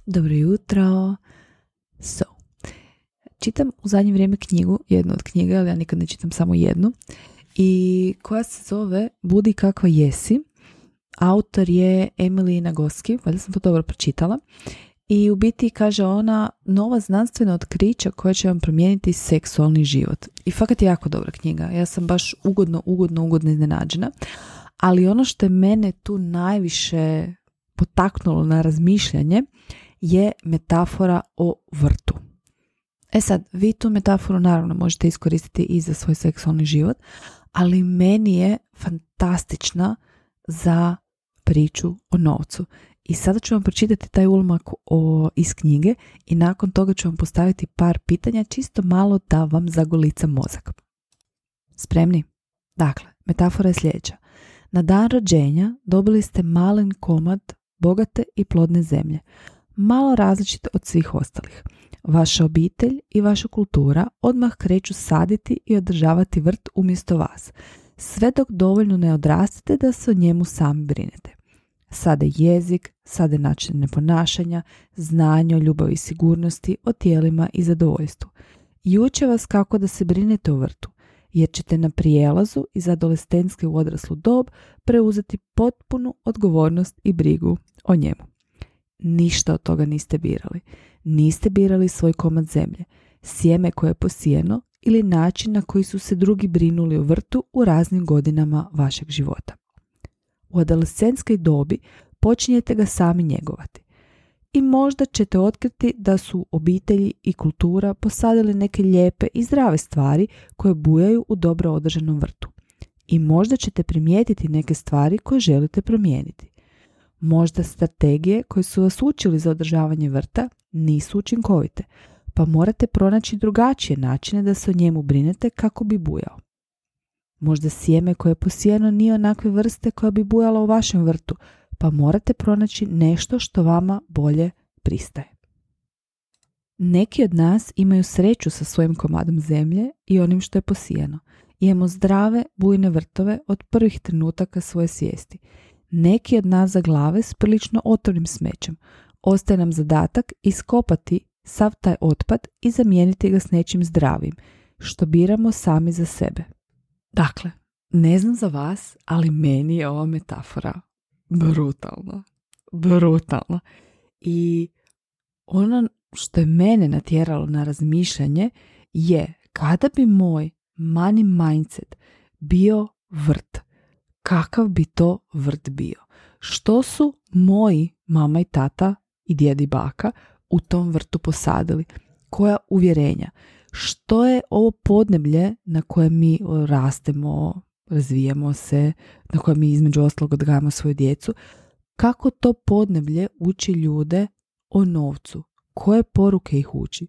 Dobro jutro. Čitam u zadnje vrijeme knjigu, jednu od knjiga, ali ja nikad ne čitam samo jednu, i koja se zove Budi kakva jesi. Autor je Emily Nagoski, valjda sam to dobro pročitala. I u biti kaže ona nova znanstvena otkrića koja će vam promijeniti seksualni život. I fakat je jako dobra knjiga. Ja sam baš ugodno iznenađena. Ali ono što je mene tu najviše potaknulo na razmišljanje je metafora o vrtu. E sad, vi tu metaforu naravno možete iskoristiti i za svoj seksualni život, ali meni je fantastična za priču o novcu. I sada ću vam pročitati taj ulomak iz knjige i nakon toga ću vam postaviti par pitanja čisto malo da vam zagolica mozak. Spremni? Dakle, metafora je sljedeća. Na dan rođenja dobili ste malen komad bogate i plodne zemlje, malo različite od svih ostalih. Vaša obitelj i vaša kultura odmah kreću saditi i održavati vrt umjesto vas, sve dok dovoljno ne odrastete da se o njemu sami brinete. Sade jezik, sade načine ponašanja, znanje o ljubavi i sigurnosti, o tijelima i zadovoljstvu. I uče vas kako da se brinete o vrtu, jer ćete na prijelazu iz adolescentske u odraslu dob preuzeti potpunu odgovornost i brigu o njemu. Ništa od toga niste birali. Niste birali svoj komad zemlje, sjeme koje je posijeno ili način na koji su se drugi brinuli o vrtu u raznim godinama vašeg života. U adolescentskoj dobi počinjete ga sami njegovati. I možda ćete otkriti da su obitelji i kultura posadili neke lijepe i zdrave stvari koje bujaju u dobro održanom vrtu. I možda ćete primijetiti neke stvari koje želite promijeniti. Možda strategije koje su vas učili za održavanje vrta nisu učinkovite, pa morate pronaći drugačije načine da se o njemu brinete kako bi bujao. Možda sjeme koje je posijeno nije onakve vrste koja bi bujala u vašem vrtu, pa morate pronaći nešto što vama bolje pristaje. Neki od nas imaju sreću sa svojim komadom zemlje i onim što je posijeno. Imamo zdrave, bujne vrtove od prvih trenutaka svoje svijesti. Neki od nas za glave s prilično otrovnim smećem. Ostaje nam zadatak iskopati sav taj otpad i zamijeniti ga s nečim zdravim, što biramo sami za sebe. Dakle, ne znam za vas, ali meni je ova metafora brutalna. I ono što je mene natjeralo na razmišljanje je kada bi moj money mindset bio vrt, kakav bi to vrt bio? Što su moji mama i tata i djed i baka u tom vrtu posadili? Koja uvjerenja? Što je ovo podneblje na kojem mi rastemo, razvijamo se, na kojem mi između ostalog odgajamo svoju djecu? Kako to podneblje uči ljude o novcu? Koje poruke ih uči?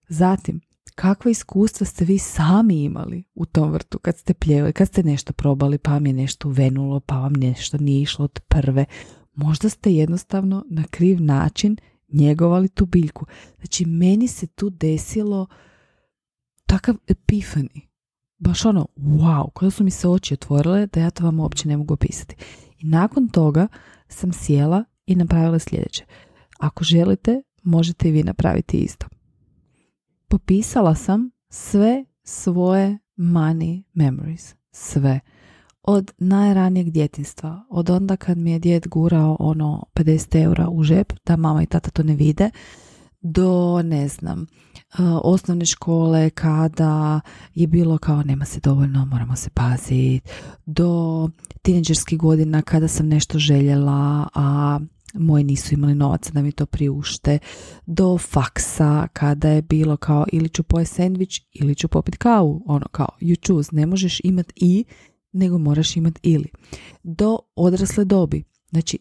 Zatim, kakva iskustva ste vi sami imali u tom vrtu kad ste pljevali, kad ste nešto probali, pa vam je nešto uvenulo, pa vam nešto nije išlo od prve. Možda ste jednostavno na kriv način njegovali tu biljku. Znači, meni se tu desilo takav epifani. Baš ono, wow, kada su mi se oči otvorile da ja to vam uopće ne mogu opisati. I nakon toga sam sjela i napravila sljedeće. Ako želite, možete i vi napraviti isto. Popisala sam sve svoje money memories. Sve. Od najranijeg djetinjstva. Od onda kad mi je djed gurao 50 eura u žep, da mama i tata to ne vide, do, osnovne škole kada je bilo kao nema se dovoljno, moramo se paziti, do tinejdžerskih godina kada sam nešto željela, a moji nisu imali novaca da mi to priušte, do faksa kada je bilo kao ili ću pojesti sendvič ili ću popiti kavu, kao you choose, ne možeš imati i, nego moraš imati ili. Do odrasle dobi, znači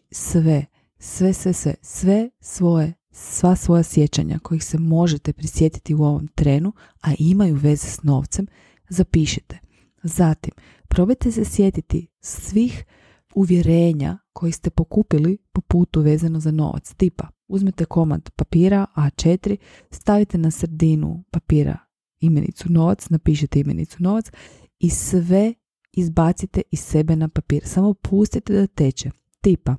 sva svoja sjećanja kojih se možete prisjetiti u ovom trenu, a imaju veze s novcem, zapišite. Zatim, probajte se sjetiti svih uvjerenja koji ste pokupili po putu vezano za novac. Tipa, uzmete komad papira A4, stavite na sredinu papira imenicu novac, napišete imenicu novac i sve izbacite iz sebe na papir. Samo pustite da teče. Tipa,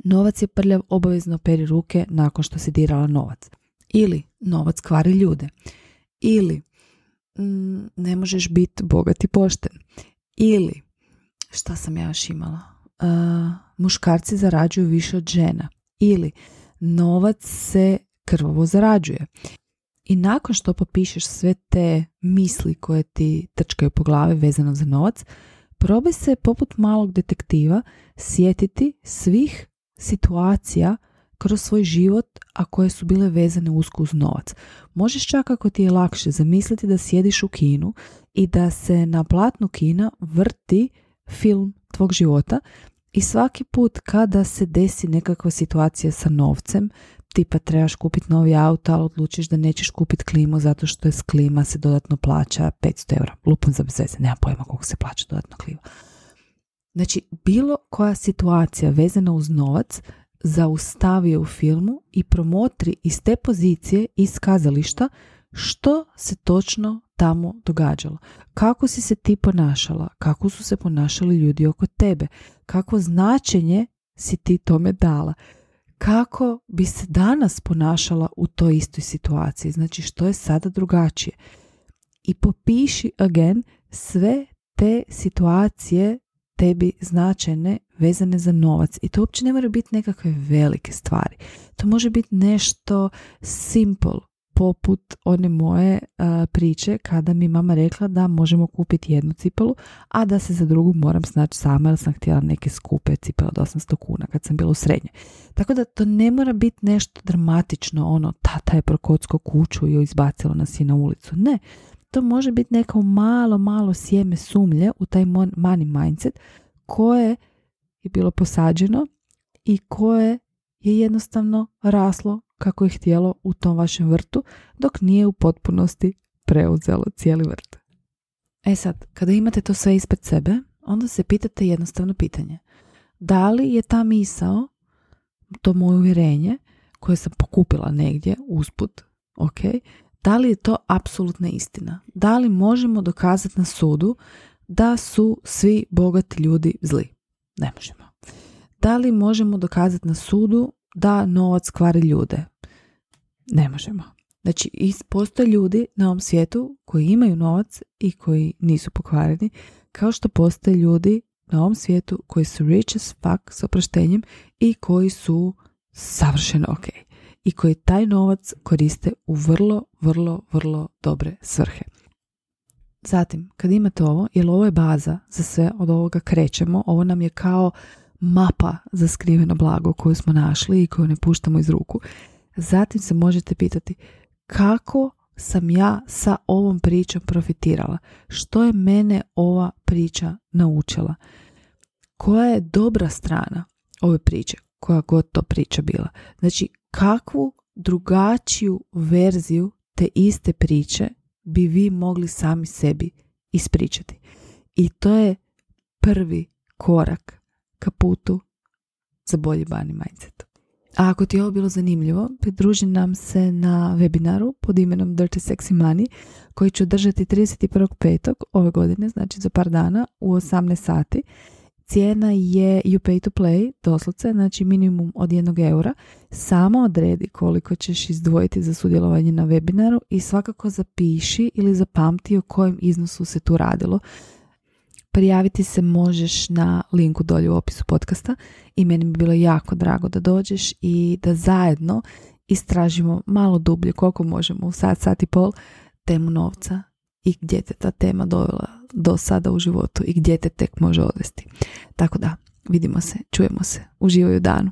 Novac je prljav, obavezno peri ruke nakon što si dirala novac. Ili novac kvari ljude. Ili ne možeš biti bogat i pošten. Ili, šta sam ja još imala? Muškarci zarađuju više od žena. Ili novac se krvavo zarađuje. I nakon što popišeš sve te misli koje ti trčkaju po glavi vezano za novac, probaj se poput malog detektiva sjetiti svih situacija kroz svoj život, a koje su bile vezane usko uz novac. Možeš čak, ako ti je lakše, zamisliti da sjediš u kinu i da se na platnu kina vrti film tvog života i svaki put kada se desi nekakva situacija sa novcem, tipa trebaš kupiti novi auto, ali odlučiš da nećeš kupiti klimu zato što je s klima se dodatno plaća 500 eura. Lupom za bez veze, nema pojma koliko se plaća dodatno klima. Znači, bilo koja situacija vezana uz novac zaustavi u filmu i promotri iz te pozicije, iz kazališta, što se točno tamo događalo. Kako si se ti ponašala, kako su se ponašali ljudi oko tebe, kako značenje si ti tome dala, kako bi se danas ponašala u toj istoj situaciji, znači što je sada drugačije. I popiši again sve te situacije tebi značajne vezane za novac. I to uopće ne mora biti nekakve velike stvari. To može biti nešto simple, poput one moje priče kada mi mama rekla da možemo kupiti jednu cipelu, a da se za drugu moram snaći sama jer sam htjela neke skupe cipele od 800 kuna kad sam bila u srednjoj. Tako da to ne mora biti nešto dramatično, ono tata je prokocko kuću i joj izbacilo nas i na ulicu. Ne, to može biti neko malo sjeme sumnje u taj money mindset koje je bilo posađeno i koje je jednostavno raslo kako je htjelo u tom vašem vrtu, dok nije u potpunosti preuzelo cijeli vrt. E sad, kada imate to sve ispred sebe, onda se pitate jednostavno pitanje. Da li je ta misao, to moje uvjerenje, koje sam pokupila negdje usput, da li je to apsolutna istina? Da li možemo dokazati na sudu da su svi bogati ljudi zli? Ne možemo. Da li možemo dokazati na sudu da novac kvari ljude? Ne možemo. Znači, postoje ljudi na ovom svijetu koji imaju novac i koji nisu pokvareni, kao što postoje ljudi na ovom svijetu koji su rich as fuck, s oproštenjem, i koji su savršeno ok. I koji taj novac koriste u vrlo dobre svrhe. Zatim, kad imate ovo, jer ovo je baza za sve, od ovoga krećemo, ovo nam je kao mapa za skriveno blago koju smo našli i koju ne puštamo iz ruku. Zatim se možete pitati kako sam ja sa ovom pričom profitirala? Što je mene ova priča naučila? Koja je dobra strana ove priče? Koja god to priča bila. Znači, kakvu drugačiju verziju te iste priče bi vi mogli sami sebi ispričati? I to je prvi korak ka putu za bolji money mindset. A ako ti je ovo bilo zanimljivo, pridruži nam se na webinaru pod imenom Dirty Sexy Money koji ću držati 31.5. ove godine, znači za par dana u 18 sati. Cijena je you pay to play, doslovce, znači minimum od 1 eura. Samo odredi koliko ćeš izdvojiti za sudjelovanje na webinaru i svakako zapiši ili zapamti o kojem iznosu se tu radilo. Prijaviti se možeš na linku dolje u opisu podcasta i meni bi bilo jako drago da dođeš i da zajedno istražimo malo dublje koliko možemo u sat i pol temu novca i gdje te ta tema dovela do sada u životu i gdje te tek može odvesti. Tako da, vidimo se, čujemo se, uživaj u danu.